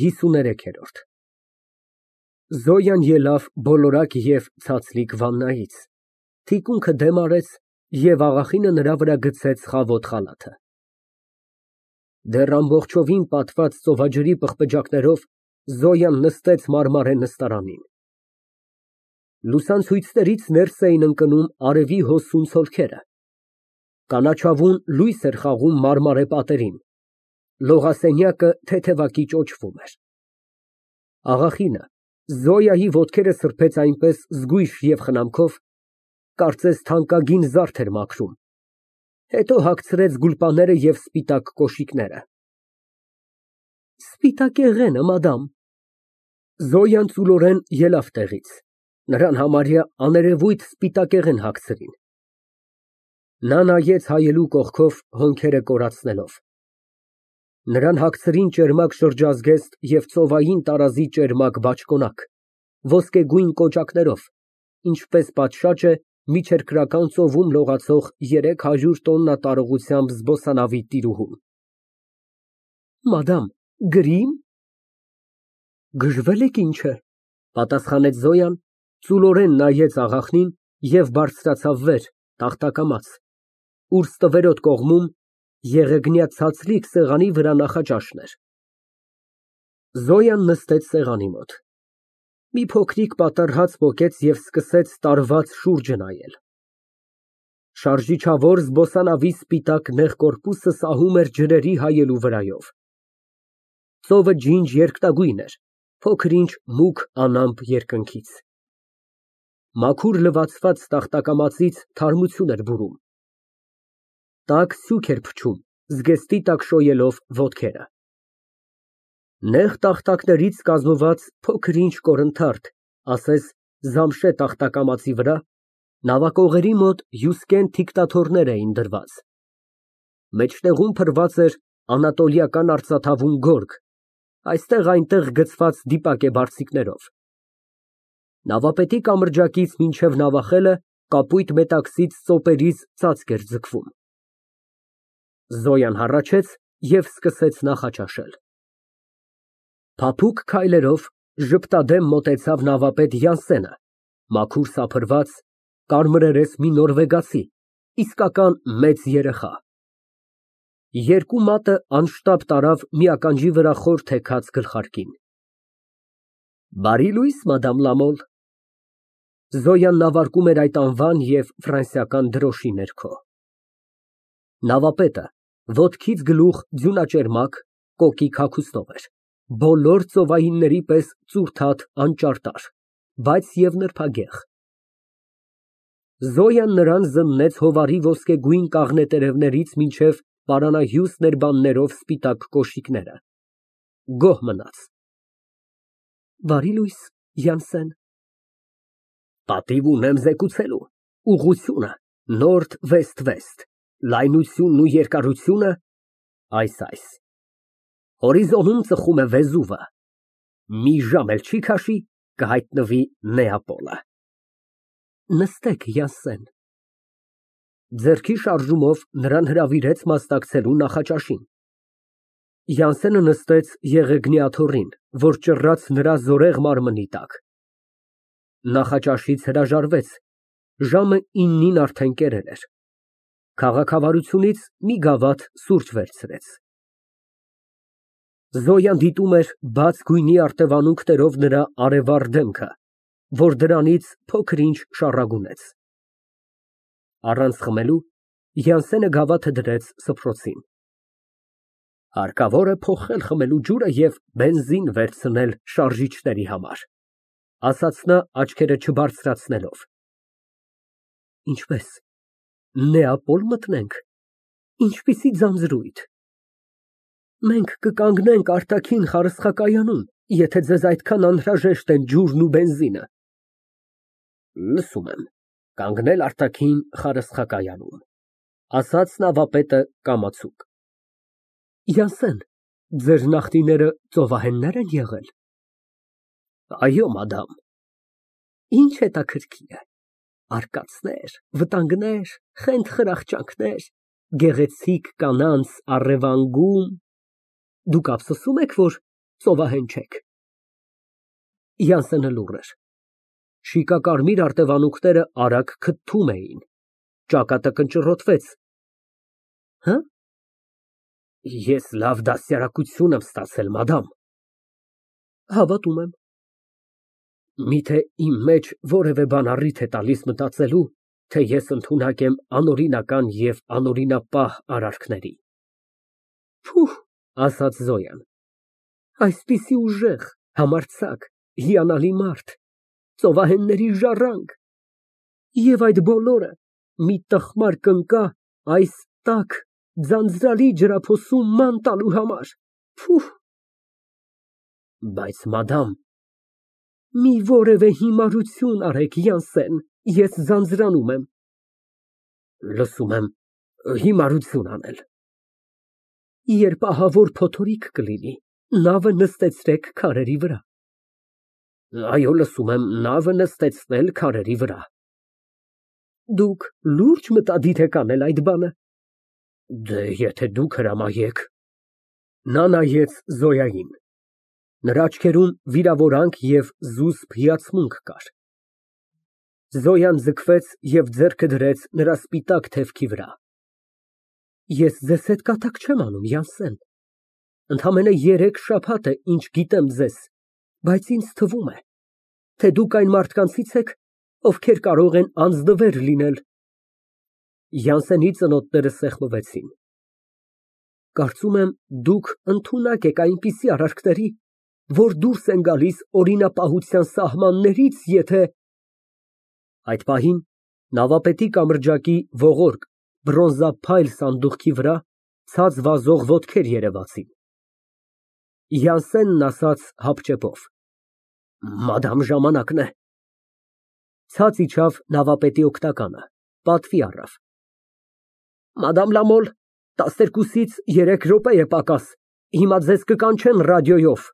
53-րդ Զոյան ելավ բոլորակ և ցածլիկ վաննայից, թիկունքը դեմ արեց և աղախինը նրա վրա գցեց խավոտ խալաթը։ Դեռ ամբողջովին պատված ծովաջրի պղպջակներով Զոյան նստեց մարմարե նստարանին։ Լուսանցույցներից ներս էին ընկնում արևի հոսուն ցոլքերը, կանաչավուն լույս էր խաղում մարմարե պատերին, լողասենյակը թեթևակի ճոճվում էր։ Աղախինը Զոյայի ոտքերը սրբեց այնպես զգույշ և խնամքով, կարծես թանկագին զարդ էր մաքրում, հետո հագցրեց գուլպաները և սպիտակ կոշիկները։ Սպիտակեղենը, մադամ։ Զոյան ծուլորեն ելավ տեղից, նրան համարյա աներևույթ սպիտակեղեն հագցրին։ Նա նայեց հայելու կողքով, հոնքերը կորացնելով։ Նրան հագցրին ճերմակ շրջազգեստ և ծովային տարազի ճերմակ բաճկոնակ, ոսկեգույն կոճակներով, ինչպես պատշաճ է միջերկրական ծովում լողացող 300 տոննա տարողությամբ զբոսանավի տիրուհուն։ Մադամ, գրի՞մ։ Գժվել եք, ինչ է, պատասխանեց Զոյան, ծուլորեն նայեց աղախնին և բարձրացավ վեր, տախտակամաց, ուր ստվերոտ կողմում եղեգնյա ցածլիկ սեղանի վրա նախաճաշն էր։ Զոյան նստեց սեղանի մոտ, մի փոքրիկ պատառ հաց պոկեց և սկսեց տարված շուրջը նայել։ Շարժիչավոր զբոսանավի սպիտակ նեղ կորպուսը սահում էր ջրերի հայելու վրայով։ Ծովը ջինջ երկտագույն էր, փոքր֊ինչ մուգ անամպ երկնքից։ Մաքուր լվացված տախտակամածից թարմություն էր բուրում։ Տաք սյուք էր փչում, զգեստի տակ շոյելով ոտքերը։ Նեղ տախտակներից կազմված փոքր֊ինչ կորնթարթ, ասես զամշե տախտակամածի վրա նավակողերի մոտ հյուսկեն թիկտաթոռներ էին դրված։ Մեջտեղում փռված էր անատոլիական արծաթավուն գորգ, այստեղ֊այնտեղ գցված դիպակ է բարձիկներով։ Նավապետի կամրջակից մինչև նավախելը կապույտ մետաքսից ծոպերից ծածկ էր ձգվում։ Զոյան հառաչեց և սկսեց նախաճաշել։ Փափուկ քայլերով ժպտադեմ մոտեցավ նավապետ Յանսենը, մաքուր սափրված, կարմրերես մի նորվեգացի, իսկական մեծ երեխա։ Երկու մատը անշտապ տարավ մի ականջի վրա խոր թեքած գլխարկին։ Բարի լույս, մադամ Լամոլ։ Զոյան նավարկում էր այդ անվան և ֆրանսիական դրոշի ներքո։ Նավապետը ոտքից գլուխ ձյունաճերմակ, կոկիկ հագուստով էր, բոլոր ծովայինների պես ծուռթաթ անճարտար, բայց և նրբագեղ։ Զոյան նրան զննեց հովարի ոսկեգույն կաղնե տերևներից պարանահյուստ ներբաններով սպիտակ կոշիկները, գոհ մնաց։ Բարի լույս, Յանսեն։ Պատիվ ունեմ զեկուցելու, ուղղությունը նորդ֊վեստ, լայնությունն ու երկարությունը այս։ Հորիզոնում ծխում է Վեզուվը, մի ժամ էլ չի քաշի, կհայտնվի Նեապոլը։ Նստեք, Յանսեն։ Ձեռքի շարժումով նրան հրավիրեց մասնակցելու նախաճաշին։ Յանսենը նստեց եղեգնի աթոռին, որ ճռռաց նրա զորեղ մարմնի տակ։ Նախաճաշից հրաժարվեց, ժամը 9-ին արդեն կերել էր։ Քաղաքավարությունից մի գավաթ սուրճ վերցրեց։ Զոյան դիտում էր բաց գույնի արտևանունքներով նրա արևառ դեմքը, որ դրանից փոքր֊ինչ շառագունեց։ Առանց խմելու Յանսենը գավաթը դրեց սփռոցին։ Հարկավոր է փոխել խմելու ջուրը և բենզին վերցնել շարժիչների համար, ասաց նա աչքերը չբարձրացնելով։ Ինչպե՞ս, Նեապոլ մտնենք, ինչպիսի ձանձրույթ։ Մենք կկանգնենք արտաքին խարսխակայանում, եթե ձեզ այդքան անհրաժեշտ են ջուրն ու բենզինը։ Լսում եմ, կանգնել արտաքին խարսխակայանում, ասաց նավապետը կամացուկ։ Յանսեն, ձեր նախնիները ծովահեննե՞ր են եղել։ Այո, մադամ։ Ինչ հետաքրքիր է, արկածներ, վտանգներ, խենթ֊խրախճանքներ, գեղեցիկ կանանց առևանգում։ Դուք ափսոսում եք, որ Ծովահեն չեք։ Յանսենը լուռ էր։ Շիկակարմիր արտևանունքները արագ քթթում էին։ Ճակատը կնճռոտվեց։ Հը՞։ Ես լավ դաստիարակություն եմ ստացել, մադամ։ Հավատում եմ։ Միթե իմ մեջ որևէ բան առիթ է տալիս մտածելու, թե ես ընդունակ եմ անօրինական և անօրինապահ արարքների։ Փուհ, ասաց Զոյան, այսպիսի ուժեղ, համարձակ, հիանալի մարդ, ծովահենների ժառանգ, և այդ բոլորը մի տխմար կնկա այս տաք, ձանձրալի ջրափոսում ման տալու համար, փուհ։ Բայց մադամ, մի որևէ հիմարություն արեք, Յանսեն, ես ձանձրանում եմ։ Լսում եմ, հիմարություն անել։ Երբ ահավոր փոթորիկ կլինի, նավը նստեցրեք քարերի վրա։ Այո, լսում եմ, նավը նստեցնել քարերի վրա։ Դուք լուրջ մտադիր եք անել այդ բանը։ Դե, եթե դուք հրամայեք։ Նա նայեց Զոյային։ Նրա աչքերում վիրավորանք և զուսպ հիացմունք կար։ Զոյան ձգվեց և ձեռքը դրեց նրա սպիտակ թևքի վրա։ Ես ձեզ հետ կատակ չեմ անում, Յանսեն, ընդամենը 3 շաբաթ է, ինչ գիտեմ ձեզ, բայց ինձ թվում է, թե դուք այն մարդկանցից եք, ովքեր կարող են անձնվեր լինել։ Յանսենի ծնոտները սեղմվեցին։ Կարծում եմ, դուք ընդունակ եք այնպիսի արարքների, որ դուրս են գալիս օրինապահության սահմաններից, եթե… Այդ պահին նավապետի կամրջակի ողորկ բրոնզափայլ սանդուղքի վրա ցած վազող ոտքեր երևացին։ Յանսենն ասաց հապճեպով. Մադամ, ժամանակն է։ Ցած իջավ նավապետի օգնականը, պատվի առավ. Մադամ Լամոլ, 12-ից 3 րոպե է պակաս, հիմա ձեզ կկանչեն ռադիոյով։